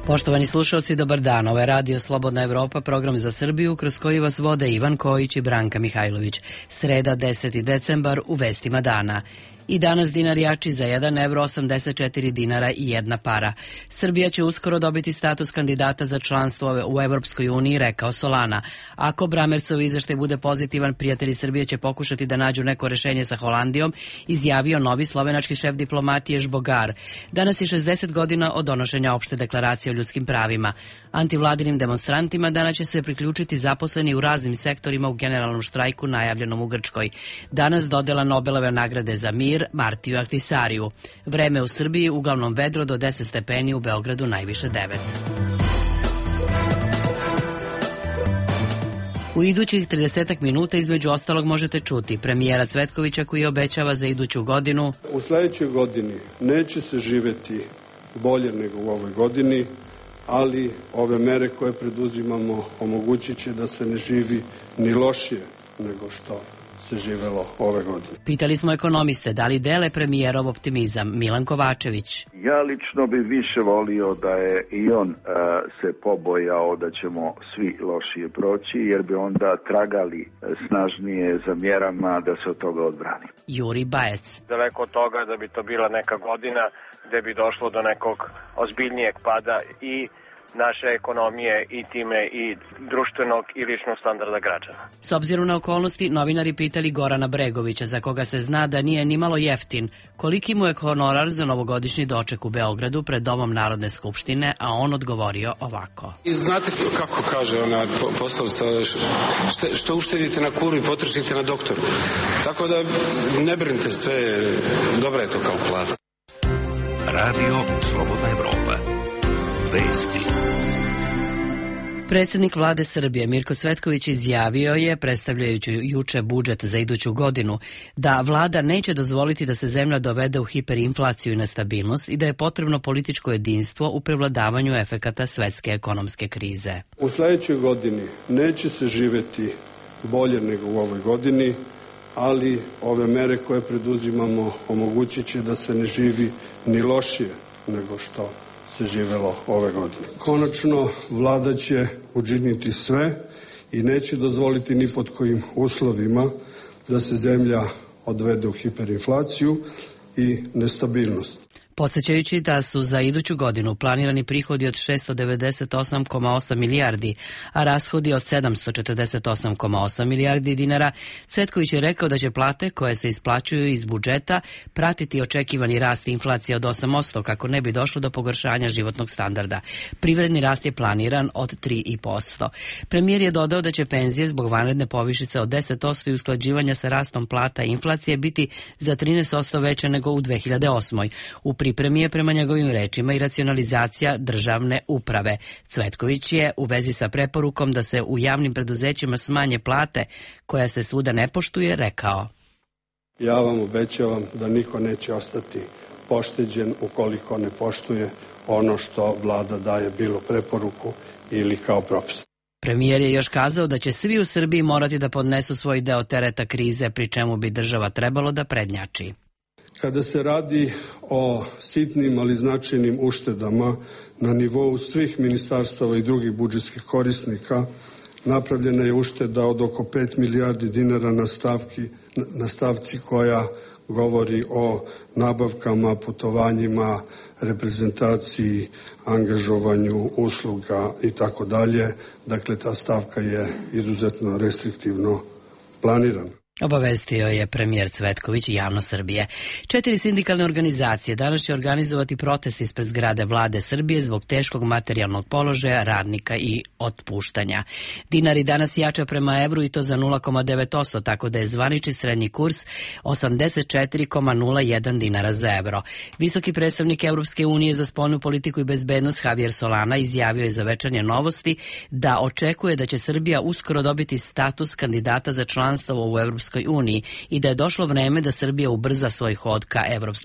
Poštovani slušalci, dobar dan. Ovo je Radio Slobodna Evropa, program za Srbiju, kroz koji vas vode Ivan Kojić i Branka Mihajlović. Sreda, 10. decembar, u vestima dana. I danas dinar jači za 1 evro 84 dinara i 1 para. Srbija će uskoro dobiti status kandidata za članstvo u Evropskoj uniji, rekao Solana. Ako Bramercov izveštaj bude pozitivan, prijatelji Srbije će pokušati da nađu neko rešenje sa Holandijom, izjavio novi slovenački šef diplomatije Žbogar. Danas je 60 godina od donošenja opšte deklaracije o ljudskim pravima. Antivladinim demonstrantima danas će se priključiti zaposleni u raznim sektorima u generalnom štrajku najavljenom u Grčkoj. Danas dodela Nobelove nagrade za mir Martiju Ahtisariju. Vreme u Srbiji uglavnom vedro do 10 stepeni, u Beogradu najviše 9. U idućih 30 minuta između ostalog možete čuti premijera Cvetkovića koji obećava za iduću godinu: u sledećoj godini neće se živeti bolje nego u ovoj godini, ali ove mere koje preduzimamo omogućit će da se ne živi ni lošije nego što se živelo ove godine. Pitali smo ekonomiste da li dele premijerov optimizam. Milan Kovačević. Ja lično bih više volio da je i on se pobojao da ćemo svi lošije proći, jer bi onda tragali snažnije za mjerama da se od toga odbrani. Juri Bajec. Daleko od toga da bi to bila neka godina gde bi došlo do nekog ozbiljnijeg pada i naše ekonomije i time i društvenog i ličnog standarda građana. S obzirom na okolnosti, novinari pitali Gorana Bregovića, za koga se zna da nije nimalo jeftin, koliki mu je honorar za novogodišnji doček u Beogradu pred Domom Narodne skupštine, a on odgovorio ovako. I znate kako kaže ona poslovica, što uštedite na kuru i potrošite na doktoru. Tako da ne brinite, sve dobra je to kao plata. Radio Slobodna Evropa. Vesti. Predsjednik vlade Srbije Mirko Cvetković izjavio je, predstavljajući juče budžet za iduću godinu, da vlada neće dozvoliti da se zemlja dovede u hiperinflaciju i nestabilnost i da je potrebno političko jedinstvo u prevladavanju efekata svetske ekonomske krize. U sledećoj godini neće se živeti bolje nego u ovoj godini, ali ove mere koje preduzimamo omogućit će da se ne živi ni lošije nego što se živelo ove godine. Konačno, vlada će učiniti sve i neće dozvoliti ni pod kojim uslovima da se zemlja odvede u hiperinflaciju i nestabilnost. Podsećajući da su za iduću godinu planirani prihodi od 698,8 milijardi, a rashodi od 748,8 milijardi dinara, Cvetković je rekao da će plate koje se isplaćuju iz budžeta pratiti očekivani rast inflacije od 8%, kako ne bi došlo do pogoršanja životnog standarda. Privredni rast je planiran od 3,5%. Premijer je dodao da će penzije zbog vanredne povišice od 10% i usklađivanja sa rastom plata i inflacije biti za 13% veće nego u 2008. U pripremi je, prema njegovim rečima, i racionalizacija državne uprave. Cvetković je u vezi sa preporukom da se u javnim preduzećima smanje plate, koja se svuda ne poštuje, rekao: ja vam obećavam da niko neće ostati pošteđen ukoliko ne poštuje ono što vlada daje, bilo preporuku ili kao propis. Premijer je još kazao da će svi u Srbiji morati da podnesu svoj deo tereta krize, pri čemu bi država trebalo da prednjači. Kada se radi o sitnim, ali značajnim uštedama na nivou svih ministarstava i drugih budžetskih korisnika, napravljena je ušteda od oko 5 milijardi dinara na stavci koja govori o nabavkama, putovanjima, reprezentaciji, angažovanju usluga i tako dalje. Dakle, ta stavka je izuzetno restriktivno planirana. Obavestio je premijer Cvetković i javnost Srbije. 4 sindikalne organizacije danas će organizovati protest ispred zgrade vlade Srbije zbog teškog materijalnog položaja radnika i otpuštanja. Dinar i danas jača prema evru i to za 0,9%, tako da je zvanični srednji kurs 84,01 dinara za evro. Visoki predstavnik Evropske unije za spoljnu politiku i bezbednost Javier Solana izjavio je za Večernje novosti da očekuje da će Srbija uskoro dobiti status kandidata za članstvo u Evropskoj Evropskoj uniji i da je došlo vreme da Srbija ubrza svoj hod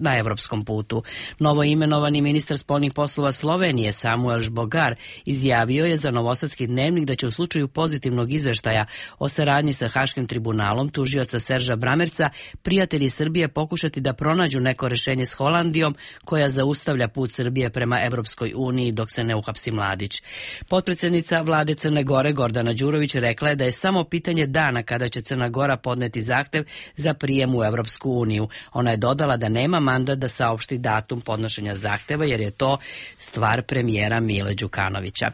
na evropskom putu. Novo imenovani ministar spoljnih poslova Slovenije Samuel Žbogar izjavio je za Novosadski dnevnik da će u slučaju pozitivnog izveštaja o saradnji sa Haškim tribunalom tužioca Serža Bramerca prijatelji Srbije pokušati da pronađu neko rešenje s Holandijom koja zaustavlja put Srbije prema Evropskoj uniji dok se ne uhapsi Mladić. Potpredsednica vlade Crne Gore Gordana Đurović rekla je da je samo pitanje dana kada će Crna Gora podneti zahtev za prijem u Evropsku uniju. Ona je dodala da nema mandat da saopšti datum podnošenja zahteva jer je to stvar premijera Mile Đukanovića.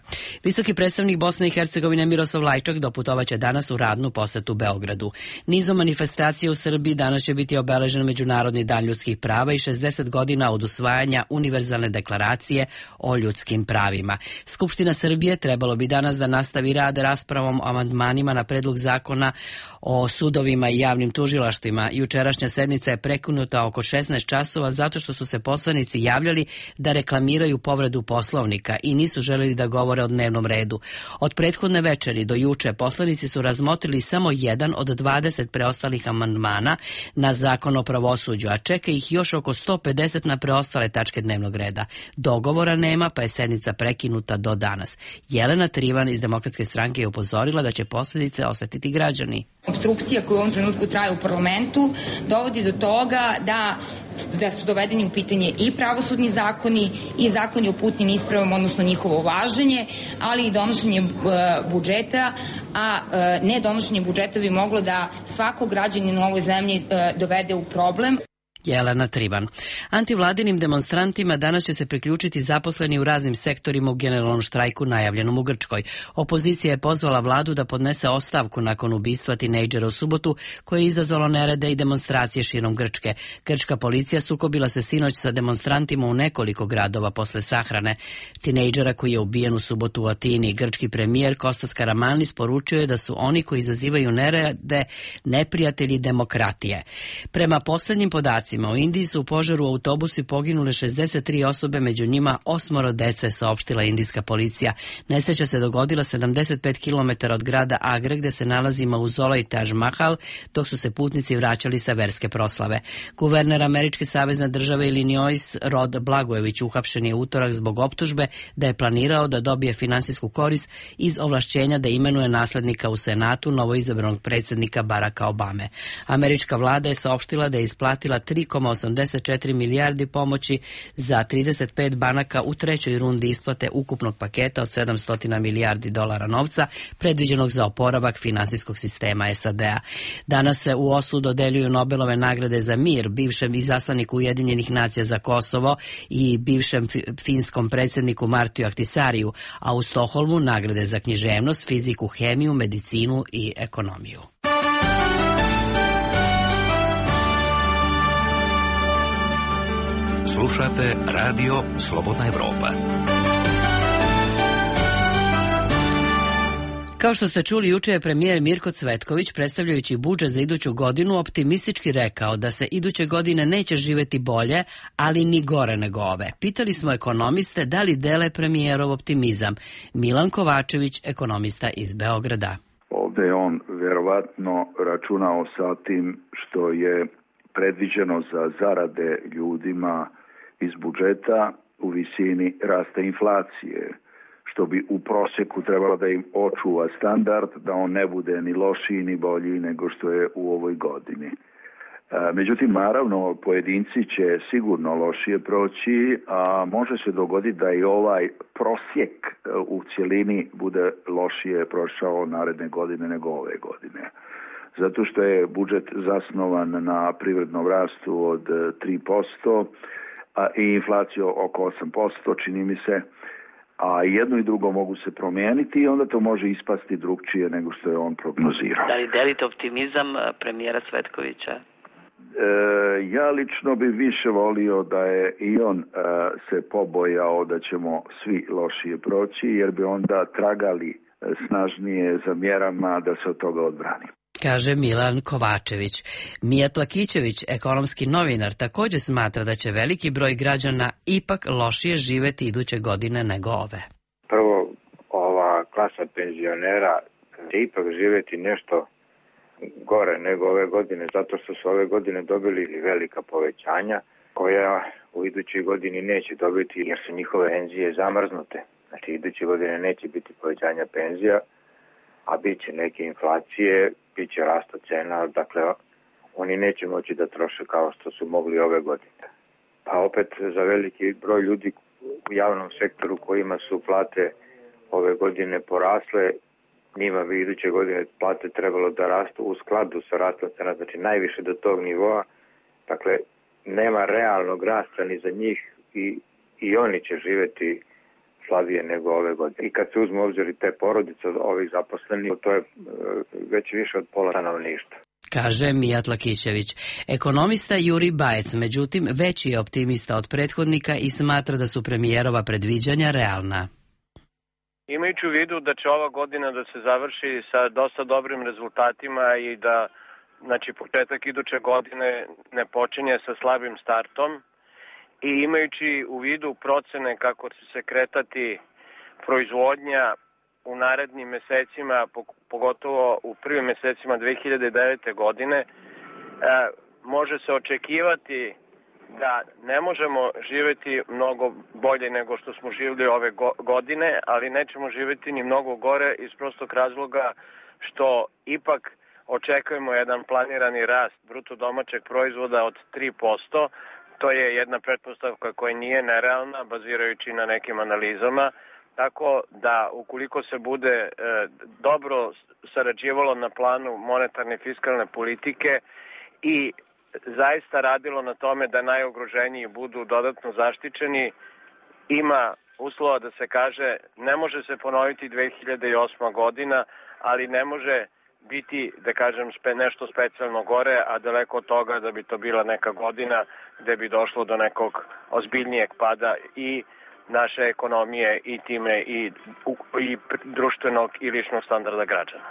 Visoki predstavnik Bosne i Hercegovine Miroslav Lajčak doputovaće danas u radnu posetu Beogradu. Nizom manifestacije u Srbiji danas će biti obeležen Međunarodni dan ljudskih prava i 60 godina od usvajanja Univerzalne deklaracije o ljudskim pravima. Skupština Srbije trebalo bi danas da nastavi rad raspravom o amandmanima na predlog zakona o sudovima i javnim tužilaštvima. Jučerašnja sednica je prekinuta oko 16 časova zato što su se poslanici javljali da reklamiraju povredu Poslovnika i nisu želeli da govore o dnevnom redu. Od prethodne večeri do juče poslanici su razmotrili samo jedan od 20 preostalih amandmana na zakon o pravosuđu, a čeka ih još oko 150 na preostale tačke dnevnog reda. Dogovora nema, pa je sednica prekinuta do danas. Jelena Trivan iz Demokratske stranke je upozorila da će posljedice osetiti građani. Opstrukcija koja u ovom trenutku traje u parlamentu dovodi do toga da su dovedeni u pitanje i pravosudni zakoni i zakoni o putnim ispravama, odnosno njihovo važenje, ali i donošenje budžeta, a ne donošenje budžeta bi moglo da svakog građanina u ovoj zemlji dovede u problem. Jelena Trivan. Antivladinim demonstrantima danas će se priključiti zaposleni u raznim sektorima u generalnom štrajku najavljenom u Grčkoj. Opozicija je pozvala vladu da podnese ostavku nakon ubistva tinejdžera u subotu koje je izazvalo nerede i demonstracije širom Grčke. Grčka policija sukobila se sinoć sa demonstrantima u nekoliko gradova posle sahrane tinejdžera koji je ubijen u subotu u Atini. Grčki premijer Kostas Karamanlis poručio je da su oni koji izazivaju nerede neprijatelji demokratije. Prema poslednjim podacima u Indiji su u požaru u autobusu poginule 63 osobe, među njima 8 dece, saopštila indijska policija. Nesreća se dogodila 75 km od grada Agre, gde se nalazi mauzolej i Taj Mahal, dok su se putnici vraćali sa verske proslave. Guverner američke savezne države Illinois Rod Blagojević uhapšen je utorak zbog optužbe da je planirao da dobije finansijsku korist iz ovlašćenja da imenuje naslednika u Senatu novoizabranog predsjednika Baracka Obame. Američka vlada je saopštila da je isplatila 3,84 milijardi pomoći za 35 banaka u trećoj rundi isplate ukupnog paketa od 700 milijardi dolara novca predviđenog za oporavak finansijskog sistema SAD-a. Danas se u Oslu dodeljuju Nobelove nagrade za mir bivšem izaslaniku Ujedinjenih nacija za Kosovo i bivšem finskom predsjedniku Martiju Ahtisariju, a u Stokholmu nagrade za književnost, fiziku, hemiju, medicinu i ekonomiju. Slušate Radio Slobodna Evropa. Kao što ste čuli, juče je premijer Mirko Cvetković, predstavljajući budžet za iduću godinu, optimistički rekao da se iduće godine neće živeti bolje, ali ni gore nego ove. Pitali smo ekonomiste da li dele premijerov optimizam. Milan Kovačević, ekonomista iz Beograda. Ovde je on verovatno računao sa tim što je predviđeno za zarade ljudima iz budžeta u visini rasta inflacije, što bi u prosjeku trebalo da im očuva standard, da on ne bude ni lošiji ni bolji nego što je u ovoj godini. Međutim, naravno, pojedinci će sigurno lošije proći, a može se dogoditi da i ovaj prosjek u cijelini bude lošije prošao naredne godine nego ove godine. Zato što je budžet zasnovan na privrednom rastu od 3%, i inflaciju oko 8%, čini mi se, a jedno i drugo mogu se promijeniti i onda to može ispasti drugčije nego što je on prognozirao. Da li delite optimizam premijera Cvetkovića? Ja lično bi više volio da je i on se pobojao da ćemo svi lošije proći, jer bi onda tragali snažnije za mjerama da se od toga odbrani. Kaže Milan Kovačević. Mijat Lakićević, ekonomski novinar, također smatra da će veliki broj građana ipak lošije živeti iduće godine nego ove. Prvo, ova klasa penzionera će ipak živjeti nešto gore nego ove godine, zato što su ove godine dobili velika povećanja koja u idućoj godini neće dobiti jer su njihove penzije zamrznute. Znači iduće godine neće biti povećanja penzija, a bit će neke inflacije, bit će rasta cena, dakle oni neće moći da troše kao što su mogli ove godine. Pa opet za veliki broj ljudi u javnom sektoru kojima su plate ove godine porasle, njima bi iduće godine plate trebalo da rastu u skladu sa rastom cena, znači najviše do tog nivoa. Dakle, nema realnog rasta ni za njih i oni će živeti slabije nego ove godine. I kad se uzme obzir i te porodice od ovih zaposlenih, to je već više od pola stanovništva. Kaže Mijat Lakićević. Ekonomista Juri Bajec, međutim, veći je optimista od prethodnika i smatra da su premijerova predviđanja realna. Imajući u vidu da će ova godina da se završi sa dosta dobrim rezultatima i da početak iduće godine ne počinje sa slabim startom i imajući u vidu procene kako će se kretati proizvodnja u narednim mesecima, pogotovo u prvim mesecima 2009. godine, može se očekivati da ne možemo živjeti mnogo bolje nego što smo živjeli ove godine, ali nećemo živjeti ni mnogo gore iz prostog razloga što ipak očekujemo jedan planirani rast bruto domaćeg proizvoda od 3%. To je jedna pretpostavka koja nije nerealna, bazirajući na nekim analizama. Tako da ukoliko se bude dobro sarađivalo na planu monetarne i fiskalne politike i zaista radilo na tome da najugroženiji budu dodatno zaštićeni, ima uslova da se kaže ne može se ponoviti 2008. godina, ali ne može biti, da kažem, nešto specijalno gore, a daleko od toga da bi to bila neka godina gde bi došlo do nekog ozbiljnijeg pada i naše ekonomije i time i društvenog i ličnog standarda građana.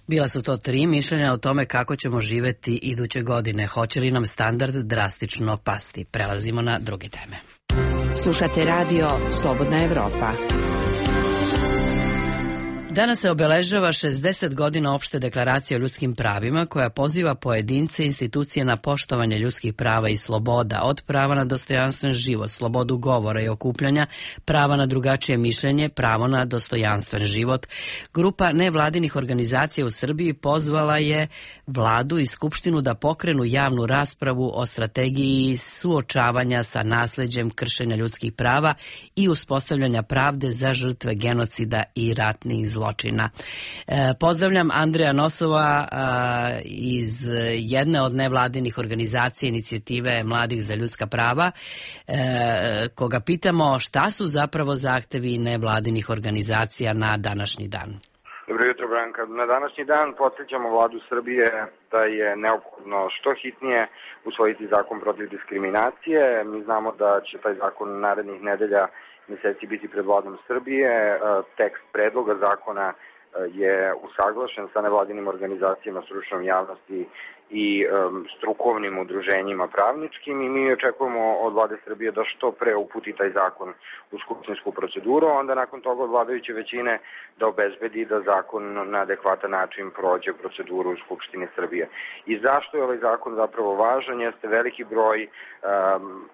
Bila su to 3 mišljenja o tome kako ćemo živeti iduće godine. Hoće li nam standard drastično pasti? Prelazimo na druge teme. Slušate radio Slobodna Evropa. Danas se obeležava 60 godina opšte deklaracije o ljudskim pravima koja poziva pojedince i institucije na poštovanje ljudskih prava i sloboda, od prava na dostojanstven život, slobodu govora i okupljanja, prava na drugačije mišljenje, pravo na dostojanstven život. Grupa nevladinih organizacija u Srbiji pozvala je vladu i skupštinu da pokrenu javnu raspravu o strategiji suočavanja sa nasleđem kršenja ljudskih prava i uspostavljanja pravde za žrtve genocida i ratnih zločina. Pozdravljam Andreja Nosova iz jedne od nevladinih organizacija inicijative Mladih za ljudska prava, koga pitamo šta su zapravo zahtevi nevladinih organizacija na današnji dan. Dobro jutro, Branka. Na današnji dan podsjećamo vladu Srbije da je neophodno što hitnije usvojiti zakon protiv diskriminacije. Mi znamo da će taj zakon narednih nedelja meseci biti pred vladom Srbije. Tekst predloga zakona je usaglašen sa nevladinim organizacijama, stručnom javnosti i strukovnim udruženjima pravničkim i mi očekujemo od vlade Srbije da što pre uputi taj zakon u skupštinsku proceduru, a onda nakon toga od vladajuće većine da obezbedi da zakon na adekvatan način prođe proceduru u Skupštini Srbije. I zašto je ovaj zakon zapravo važan? Jeste veliki broj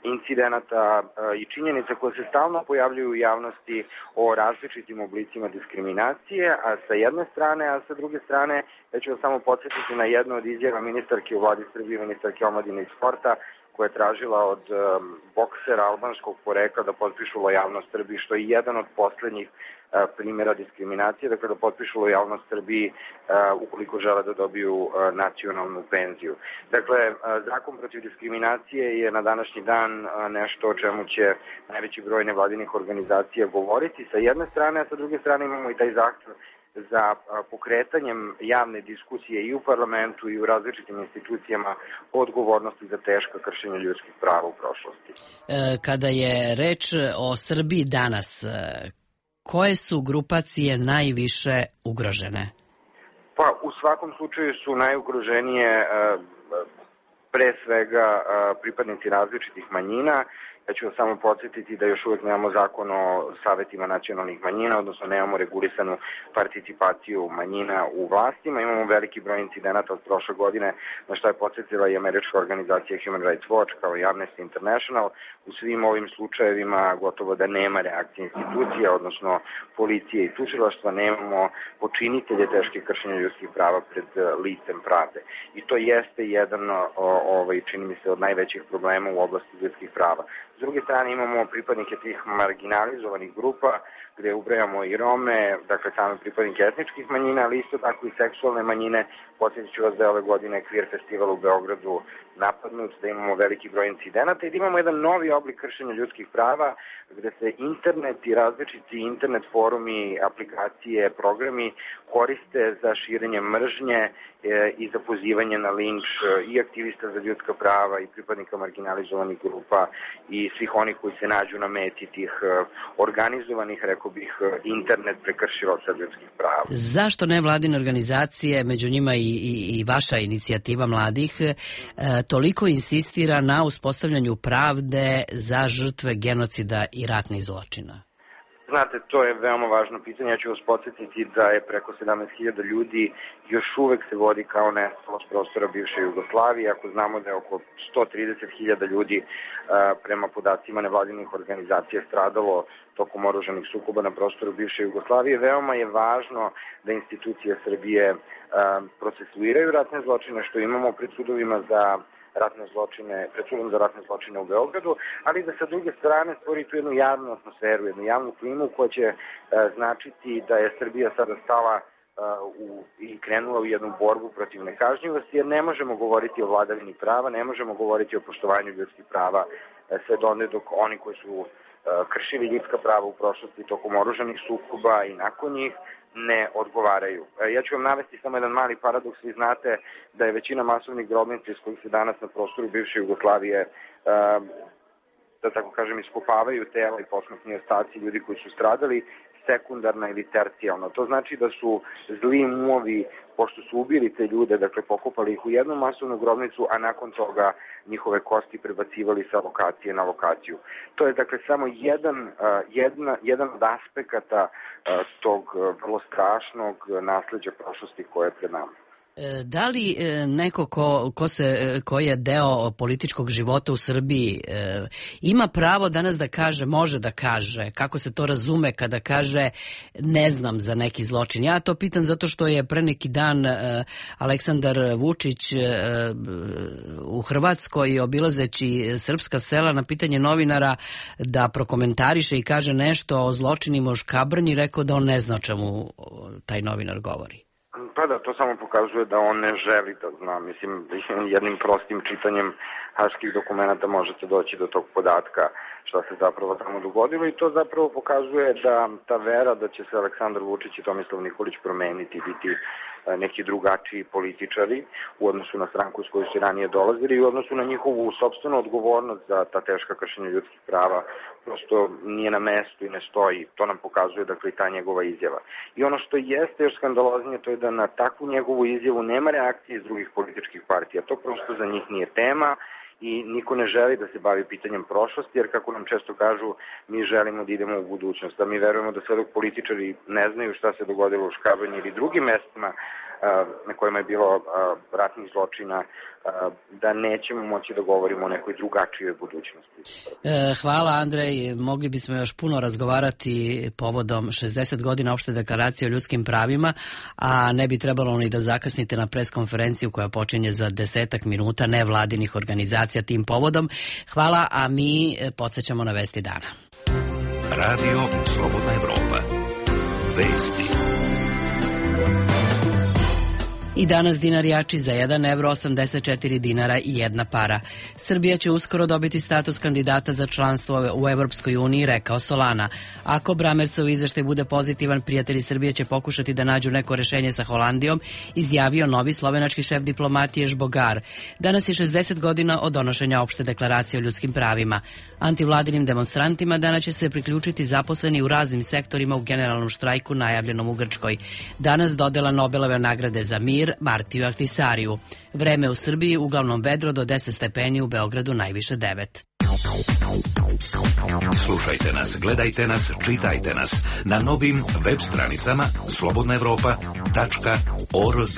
incidenata i činjenica koje se stalno pojavljuju u javnosti o različitim oblicima diskriminacije, a sa jedne strane, a sa druge strane, ja ću vas samo podsjetiti na jednu od izjava ministarke u vladi Srbije, ministarke omladine i sporta, koja je tražila od boksera albanskog porekla da potpišu lojalnost Srbiji, što je jedan od poslednjih primjera diskriminacije, dakle da potpišu lojalnost Srbiji ukoliko žele da dobiju nacionalnu penziju. Dakle, zakon protiv diskriminacije je na današnji dan nešto o čemu će najveći broj nevladinih organizacija govoriti sa jedne strane, a sa druge strane imamo i taj zahtev za pokretanjem javne diskusije i u parlamentu i u različitim institucijama odgovornosti za teška kršenja ljudskih prava u prošlosti. Kada je reč o Srbiji danas, koje su grupacije najviše ugrožene? Pa u svakom slučaju su najugroženije pre svega pripadnici različitih manjina. Ja ću vas samo podsjetiti da još uvek nemamo zakon o savetima nacionalnih manjina, odnosno nemamo regulisanu participaciju manjina u vlastima. Imamo veliki broj incidenata od prošle godine, na što je podsjetila i američka organizacija Human Rights Watch kao i Amnesty International. U svim ovim slučajevima gotovo da nema reakcije institucija, odnosno policije i tužilaštva, nemamo počinitelje teških kršenja ljudskih prava pred licem pravde. I to jeste jedan, čini mi se, od najvećih problema u oblasti ljudskih prava. S druge strane imamo pripadnike tih marginalizovanih grupa, gde ubrajamo i Rome, dakle same pripadnike etničkih manjina, ali isto tako i seksualne manjine. Podsjetit ću vas da je ove godine Queer Festival u Beogradu napadnut, da imamo veliki broj incidenata i da imamo jedan novi oblik kršenja ljudskih prava, gde se internet i različiti internet forumi, aplikacije, programi koriste za širenje mržnje i za pozivanje na linč i aktivista za ljudska prava i pripadnika marginalizovanih grupa i svih onih koji se nađu na meti tih organizovanih, rekao bih, internet prekršilaca ljudskih prava. Zašto nevladine organizacije, među njima i vaša inicijativa mladih, toliko insistira na uspostavljanju pravde za žrtve genocida i ratnih zločina? Znate, to je veoma važno pitanje. Ja ću vas podsjetiti da je preko 17.000 ljudi još uvek se vodi kao nestalo s prostora bivše Jugoslavije. Ako znamo da je oko 130.000 ljudi prema podacima nevladinih organizacija stradalo tokom oružanih sukoba na prostoru bivše Jugoslavije, veoma je važno da institucije Srbije procesuiraju ratne zločine, što imamo pred sudovima za ratne zločine, pred sudom za ratne zločine u Beogradu, ali da sa druge strane stvori tu jednu javnu atmosferu, jednu javnu klimu koja će značiti da je Srbija sada stala i krenula u jednu borbu protiv nekažnjivosti, jer ne možemo govoriti o vladavini prava, ne možemo govoriti o poštovanju ljudskih prava sve do onda dok oni koji su kršili ljudska prava u prošlosti tokom oružanih sukoba i nakon njih ne odgovaraju. Ja ću vam navesti samo jedan mali paradoks. Vi znate da je većina masovnih grobnica iz kojih se danas na prostoru bivše Jugoslavije, da tako kažem, iskopavaju tela i posmrtni ostaci ljudi koji su stradali, sekundarna ili tercijalna. To znači da su zli umovi, pošto su ubili te ljude, dakle pokopali ih u jednu masovnu grobnicu, a nakon toga njihove kosti prebacivali sa lokacije na lokaciju. To je dakle samo jedan od aspekata tog vrlo strašnog nasleđa prošlosti koje je pred nama. Da li neko ko je deo političkog života u Srbiji ima pravo danas da kaže, može da kaže, kako se to razume kada kaže ne znam za neki zločin? Ja to pitam zato što je pre neki dan Aleksandar Vučić u Hrvatskoj obilazeći srpska sela na pitanje novinara da prokomentariše i kaže nešto o zločinima u Škabrnji, rekao da on ne zna o čemu taj novinar govori. Pa da, to samo pokazuje da on ne želi da zna. Mislim, jednim prostim čitanjem haških dokumenta možete doći do tog podatka šta se zapravo tamo dogodilo i to zapravo pokazuje da ta vera da će se Aleksandar Vučić i Tomislav Nikolić promeniti, biti neki drugačiji političari u odnosu na stranku s koju su ranije dolazili i u odnosu na njihovu sopstvenu odgovornost za ta teška kršenja ljudskih prava, prosto nije na mestu i ne stoji. To nam pokazuje, dakle, i ta njegova izjava. I ono što jeste još skandaloznije, to je da na takvu njegovu izjavu nema reakcije iz drugih političkih partija. To prosto za njih nije tema i niko ne želi da se bavi pitanjem prošlosti, jer kako nam često kažu, mi želimo da idemo u budućnost, da mi verujemo da sve dok političari ne znaju šta se dogodilo u Škabrnji ili drugim mestima na kojima je bilo ratnih zločina, da nećemo moći da govorimo o nekoj drugačijoj budućnosti. Hvala, Andrej. Mogli bismo još puno razgovarati povodom 60 godina opšte deklaracije o ljudskim pravima, a ne bi trebalo ni da zakasnite na preskonferenciju koja počinje za 10 minuta nevladinih organizacija tim povodom. Hvala, a mi podsjećamo na vesti dana. Radio Slobodna Evropa. Vesti. I danas dinar jači za 1 evro, 84 dinara i 1 para. Srbija će uskoro dobiti status kandidata za članstvo u Evropskoj uniji, rekao Solana. Ako Bramercov izveštaj bude pozitivan, prijatelji Srbije će pokušati da nađu neko rešenje sa Holandijom, izjavio novi slovenački šef diplomatije Žbogar. Danas je 60 godina od donošenja opšte deklaracije o ljudskim pravima. Antivladinim demonstrantima danas će se priključiti zaposleni u raznim sektorima u generalnom štrajku najavljenom u Grčkoj. Danas dodela Nobelove nagrade za mir Martiju Ahtisariju. Vreme u Srbiji uglavnom vedro do 10 stepeni, u Beogradu najviše 9. Slušajte nas, gledajte nas, čitajte nas na novim web stranicama slobodnaevropa.org.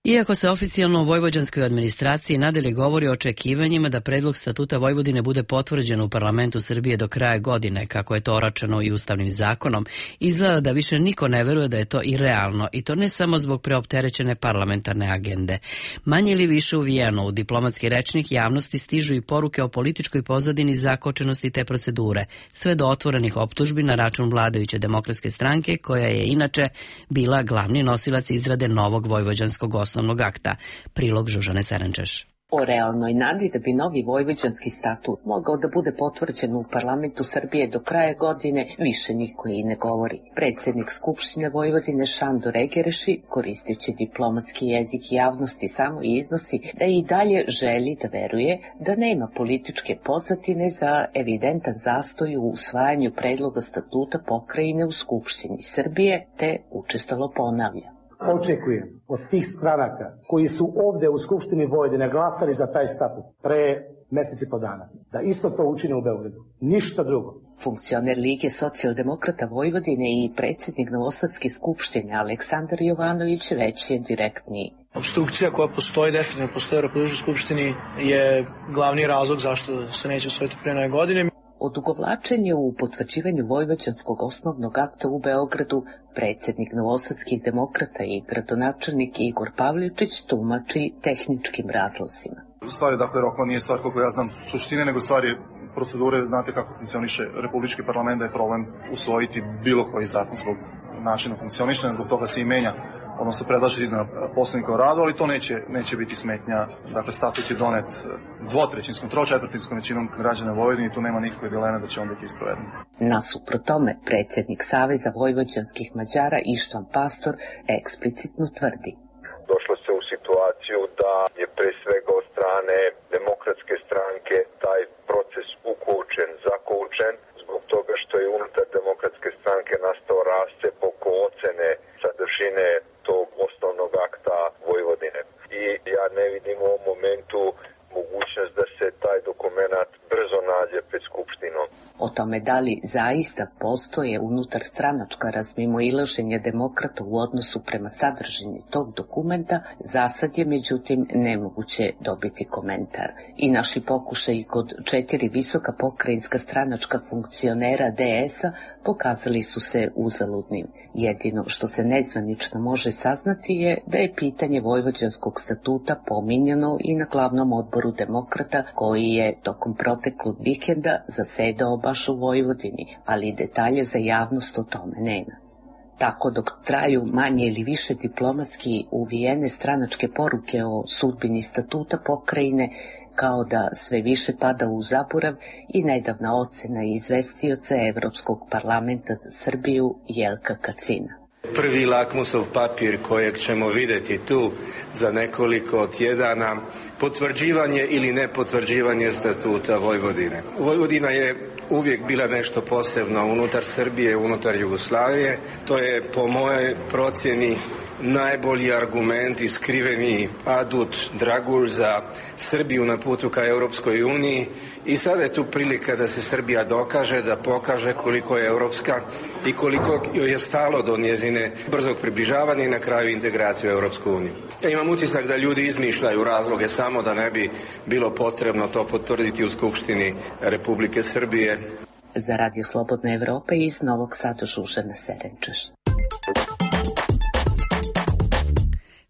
Iako se oficijalno u vojvođanskoj administraciji nadalje govori o očekivanjima da predlog statuta Vojvodine bude potvrđen u parlamentu Srbije do kraja godine, kako je to oračeno i ustavnim zakonom, izgleda da više niko ne veruje da je to i realno, i to ne samo zbog preopterećene parlamentarne agende. Manje ili više uvijeno u diplomatski rečnik javnosti stižu i poruke o političkoj pozadini zakočenosti te procedure, sve do otvorenih optužbi na račun vladajuće Demokratske stranke, koja je inače bila glavni nosilac izrade novog vojvođanskog osnovnog akta. Prilog Žužane Serenčeš. O realnoj nadi da bi novi vojvođanski statut mogao da bude potvrđen u parlamentu Srbije do kraja godine više niko i ne govori. Predsjednik Skupštine Vojvodine Šandor Egereši, koristeći diplomatski jezik javnosti, samo iznosi da i dalje želi da veruje da nema političke pozadine za evidentan zastoj u usvajanju predloga statuta pokrajine u Skupštini Srbije, te učestalo ponavlja. Očekujem od tih stranaka koji su ovde u Skupštini Vojvodine glasali za taj statut pre mesec i po dana, da isto to učine u Beogradu. Ništa drugo. Funkcioner Lige socijaldemokrata Vojvodine i predsjednik Novosadske skupštine Aleksandar Jovanović već je direktniji. Obstrukcija koja postoji, definitivno postoji u Republičkoj skupštini, je glavni razlog zašto se neće usvojiti pre nove godine. Odugovlačenje u potvrđivanju vojvođanskog osnovnog akta u Beogradu predsjednik Novosadskih demokrata i gradonačelnik Igor Pavličić tumači tehničkim razlozima. Stvar je, dakle, rokova nije stvar, koliko ja znam, suštine, nego stvar je procedure. Znate kako funkcioniše Republički parlament, da je problem usvojiti bilo koji zakon zbog načina funkcionišanja, zbog toga se i menja, odnosno predlaže izmena Poslovnika o radu, ali to neće biti smetnja. Dakle, statut je donet dvotrećinskom, tročetvrtinskom većinom građana Vojvodine i tu nema nikakve dileme da će on biti isproveden. Nasuprot tome, predsjednik Saveza vojvođanskih Mađara Ištvan Pastor eksplicitno tvrdi. Došlo se u situaciju da je pre svega od strane Demokratske stranke taj proces ukoučen, zakoučen, zbog toga što je unutar Demokratske stranke nastao rascep oko ocene sadržine tog osnovnog akta Vojvodine. I ja ne vidim u ovom momentu mogućnost da se taj dokument brzo nađe pred Skupštinom. O tome da li zaista postoje unutar stranačka razmimoilaženja demokrata u odnosu prema sadržini tog dokumenta, zasad je međutim nemoguće dobiti komentar. I naši pokušaji kod 4 visoka pokrajinska stranačka funkcionera DS-a pokazali su se uzaludnim. Jedino što se nezvanično može saznati je da je pitanje vojvođanskog statuta pominjano i na glavnom odboru demokrata koji je tokom proteklog vikenda zasedao baš u Vojvodini, ali detalje za javnost o tome nema. Tako dok traju manje ili više diplomatski uvijene stranačke poruke o sudbini statuta pokrajine, kao da sve više pada u zaborav i nedavna ocena izvestioca Evropskog parlamenta za Srbiju Jelka Kacina. Prvi lakmusov papir kojeg ćemo vidjeti tu za nekoliko tjedana, potvrđivanje ili nepotvrđivanje statuta Vojvodine. Vojvodina je uvijek bila nešto posebno unutar Srbije, unutar Jugoslavije. To je po mojoj procjeni najbolji argument i skriveni adut dragulj za Srbiju na putu ka Europskoj uniji i sada je tu prilika da se Srbija dokaže, da pokaže koliko je europska i koliko joj je stalo do njezine brzog približavanja i na kraju integracije u Europsku uniju. Ja imam utisak da ljudi izmišljaju razloge samo da ne bi bilo potrebno to potvrditi u Skupštini Republike Srbije. Za Radio Slobodna Evropa iz Novog Sada Žužana Serenčeš.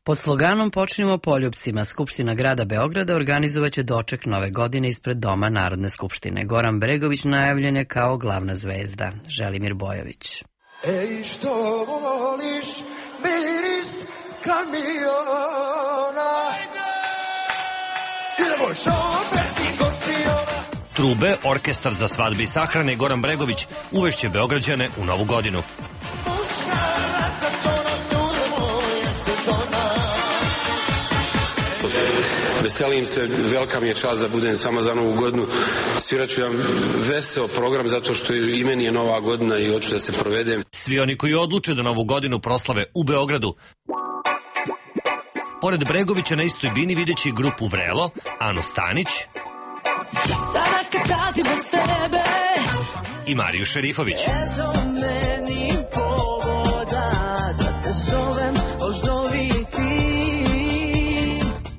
Pod sloganom Počnimo poljupcima, Skupština grada Beograda organizovaće doček nove godine ispred Doma Narodne skupštine. Goran Bregović najavljen je kao glavna zvezda. Želimir Bojović. Ej, što voliš miris kamiona? Idemo šoferskih gostiona. Trube, orkestar za svadbe i sahrane Goran Bregović uvešće Beograđane u novu godinu. Veselim se, velika mi je čast da budem s vama za novu godinu. Svirat ću vam veseo program zato što i meni je nova godina i hoću da se provedem. Svi oni koji odluče da novu godinu proslave u Beogradu. Pored Bregovića na istoj bini videći grupu Vrelo, Anu Stanić, sada kad sati bez tebe. I Mariju Šerifović. Eto meni povoda da te zovem, ozovi ti.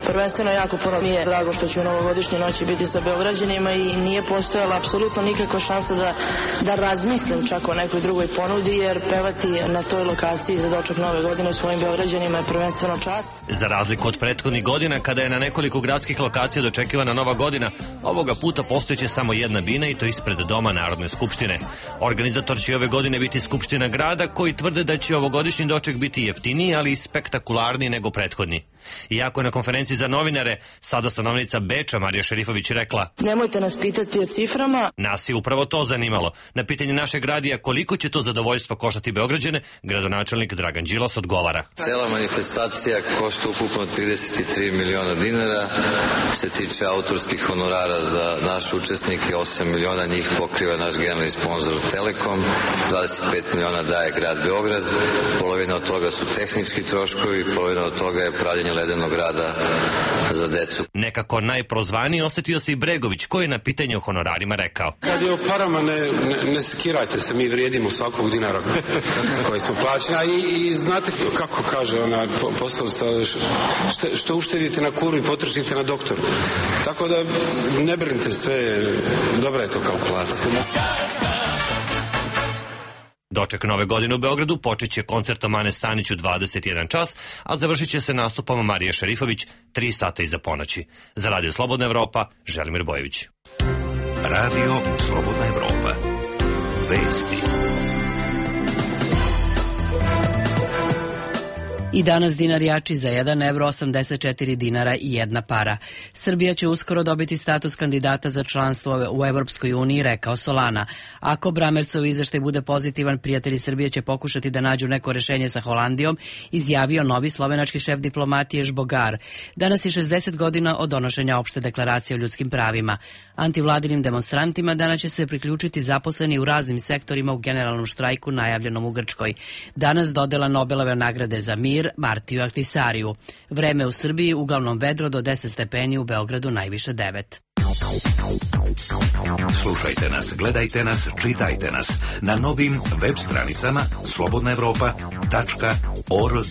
Prvenstveno jako puno mi je drago što ću u novogodišnjoj noći biti sa Beograđanima i nije postojala apsolutno nikakva šansa da razmislim čak o nekoj drugoj ponudi, jer pevati na toj lokaciji za doček nove godine svojim Beograđanima je prvenstveno čast. Za razliku od prethodnih godina kada je na nekoliko gradskih lokacija dočekivana nova godina, ovoga puta postojeće samo jedna bina i to ispred Doma Narodne skupštine. Organizator će ove godine biti Skupština grada, koji tvrde da će ovogodišnji doček biti jeftiniji, ali i spektakularniji nego prethodni. Iako je na konferenciji za novinare sada stanovnica Beča Marija Šerifović rekla: nemojte nas pitati o ciframa. Nas je upravo to zanimalo. Na pitanje našeg radija koliko će to zadovoljstvo koštati Beograđane, gradonačelnik Dragan Đilas odgovara: cela manifestacija košta ukupno 33 miliona dinara. Se tiče autorskih honorara za naše učesnike, 8 miliona njih pokriva naš generalni sponsor Telekom, 25 miliona daje grad Beograd, polovina od toga su tehnički troškovi, polovina od toga je pravljenje ledenog rada za decu. Nekako najprozvaniji osetio se i Bregović, koji je na pitanje o honorarima rekao: kad je o parama, ne sekirajte se, mi vrijedimo svakog dinara koji smo plaćeni, i znate kako kaže ona poslovica, što uštedite na kuru i potrošite na doktoru. Tako da ne brinite, sve dobra je to kalkulacija. Doček nove godine u Beogradu počet će koncertom Ane Stanić u 21 čas, a završit će se nastupom Marije Šerifović 3 sata iza ponoći. Za Radio Slobodna Evropa, Želimir Bojević. Radio Slobodna Evropa. Vesti. I danas dinar jači za 1 evro 84 dinara i 1 para. Srbija će uskoro dobiti status kandidata za članstvo u Evropskoj uniji, rekao Solana. Ako Bramercov izveštaj bude pozitivan, prijatelji Srbije će pokušati da nađu neko rešenje sa Holandijom, izjavio novi slovenački šef diplomatije Žbogar. Danas je 60 godina od donošenja opšte deklaracije o ljudskim pravima. Antivladinim demonstrantima danas će se priključiti zaposleni u raznim sektorima u generalnom štrajku najavljenom u Grčkoj. Danas dodela Nobelove nagrade za mir Martiju Ahtisariju. Vreme u Srbiji uglavnom vedro do 10 stepeni, u Beogradu najviše 9. Slušajte nas, gledajte nas, čitajte nas na novim web stranicama slobodnaevropa.org.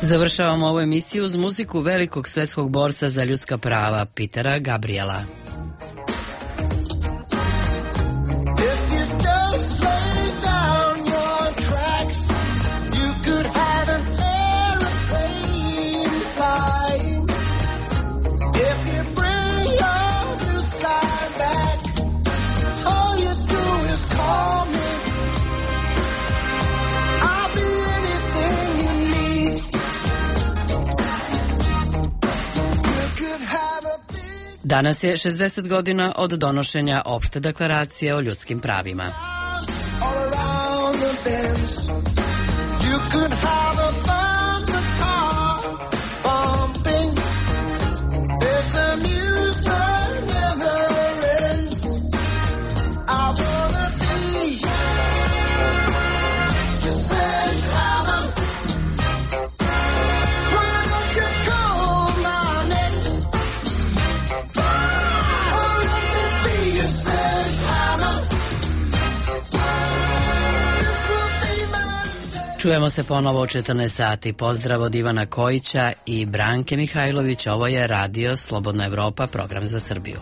Završavamo ovu emisiju uz muziku velikog svetskog borca za ljudska prava Petera Gabriela. Danas je 60 godina od donošenja opšte deklaracije o ljudskim pravima. Čujemo se ponovo u 14 sati. Pozdrav od Ivana Kojića i Branke Mihajlović. Ovo je Radio Slobodna Evropa, program za Srbiju.